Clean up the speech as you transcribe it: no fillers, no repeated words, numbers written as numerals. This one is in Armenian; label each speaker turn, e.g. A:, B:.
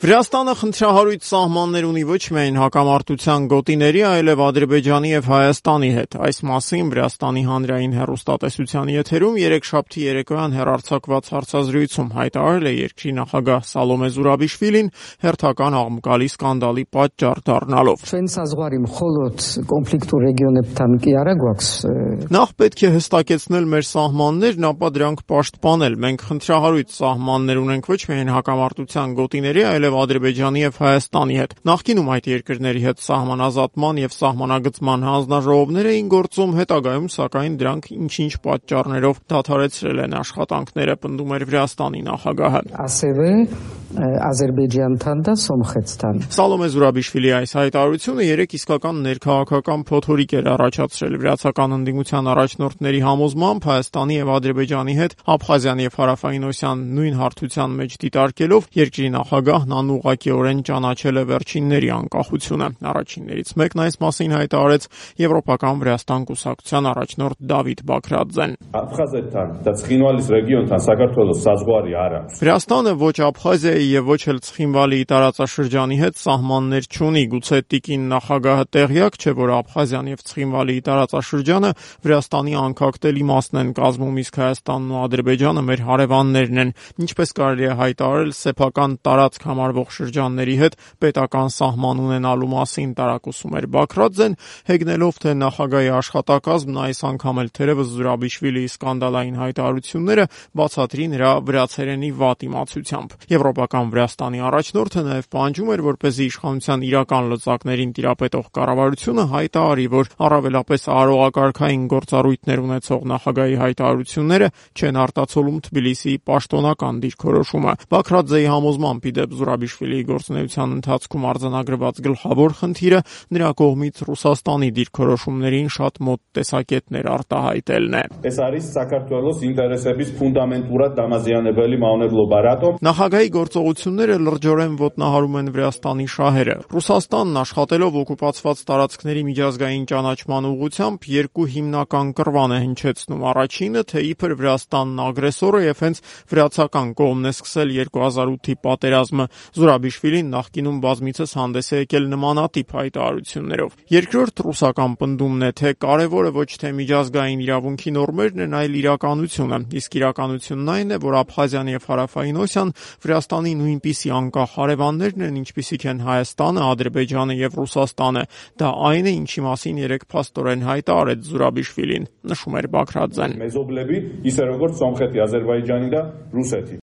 A: Վրաստանը խնդրահարույց սահմաններ ունի ոչ միայն հակամարտության գոտիների, այլև Ադրբեջանի և Հայաստանի հետ։ Այս մասին Վրաստանի հանրային հեռուստատեսության եթերում երեքշաբթի երեկոյան հեռարձակված հարցազրույցում հայտարարել է երկրի նախագահ Սալոմե Զուրաբիշվիլին, հերթական աղմկալի սկանդալի պատճառ դառնալով։ Նախ պետք է հստակեցնել մեր սահմաններն, ապա դրանք պաշտպանել։ Մենք խնդրահարույց սահմաններ ունենք ոչ միայն հակամարտության գոտիների, այլև Ադրբեջանի և Հայաստանի հետ։ Նախկինում այդ երկրների հետ սահմանազատման և սահմանագծման հանձնաժողովներ էին գործում, հետագայում սակայն դրանք ինչ-ինչ պատճառներով դադարեցրել են աշխատանքները, պնդում էր Վրաստանի նախագահը։ Սալոմե Զուրաբիշվիլի այս հայտարարությունը երեք իսկական ներքաղաքական փոթորիկ էր առաջացրել։ Վրացական ընդդիմության առաջնորդների համոզմամբ Հայաստանի և Ադրբեջանի հետ Աբխազիան և Հարավային Օսիան նույն հարթության մեջ դիտարկելով երկրի նախագահն անուղղակիորեն ճանաչել է վերջինների անկախությունը։ Առաջիններից մեկն այս մասին հայտարարեց Եվրոպական Վրաստան կուսակցության առաջնորդ Դավիթ Բաքրաձեն։ Վրաստանը ոչ Աբխազիայի և ոչ էլ Ցխինվալիի տարածաշրջանի հետ սահմաններ չունի։ Գուցե տիկին նախագահը տեղյակ չէ, որ Աբխազիան և Ցխինվալիի տարածաշրջանը Վրաստանի անկախտելի մասն են կազմում, իսկ Հայաստանն ու Ադրբեջանը մեր հարևաններն են։ Ինչպես կարելի է հայտարարել, սեփական տարածք համարվող շրջանների հետ պետական սահման ունենալու մասին տարակուսում էր Բաքրաձեն, հեգնելով, թե նախագահի աշխատակազմն այս անգամ էլ թերևս Զուրաբիշվիլիի սկանդալային հայտարարությունները բացատրի նրա վրացերենի վատ իմացությամբ։ Եվրոպական Վրաստանի առաջնորդը նաև պահանջում էր, որպեսզի իշխանության իրական լծակներին տիրապետող կառավարությունը հայտարարի, որ առավելապես արարողակարգային գործառույթներ ունեցող նախագահի հայտարարությունները չեն արտացոլում Թբիլիսիի պաշտոնական դիրքորոշումը։ Բաքրաձեի համոզմամբ, ի դեպ, Զուրաբիշվիլիի գործունեության ընթացքում արձանագրված գլխավոր խնդիրը նրա կողմից Ռուսաստանի դիրքորոշումներին շատ մոտ տեսակետներ արտահայտելն է։ Նախագահի գործողությունները լրջորեն ոտնահարում են Վրաստանի շահերը։ Ռուսաստանն աշխատելով օկուպացված տարածքների միջազգային ճանաչման ուղղությամբ երկու հիմնական կռվան է հնչեցնում։ Առաջինը, թե իբր Վրաստանն ագրեսոր է և հենց վրացական կողմն է սկսել 2008-ի պատերազմը։ Զուրաբիշվիլին նախկինում բազմիցս հանդես է եկել նմանատիպ հայտարարություններով։ Երկրորդ ռուսական պնդումն է, թե կարևորը ոչ թե միջազգային իրավունքի նորմերն են, այլ իրականությունը։ Իսկ իրականությունն այն է, որ Աբխազիան և Հարավային Օսիան Վրաստանի նույնպիսի անկախ հարևաններն են, ինչպիսիք են Հայաստանը, Ադրբեջանը և Ռուսաստանը։ Դա այն է, ինչի մասին երեկ փաստորեն հայտարարեց Զուրաբիշվիլին, նշում էր Բաքրաձեն։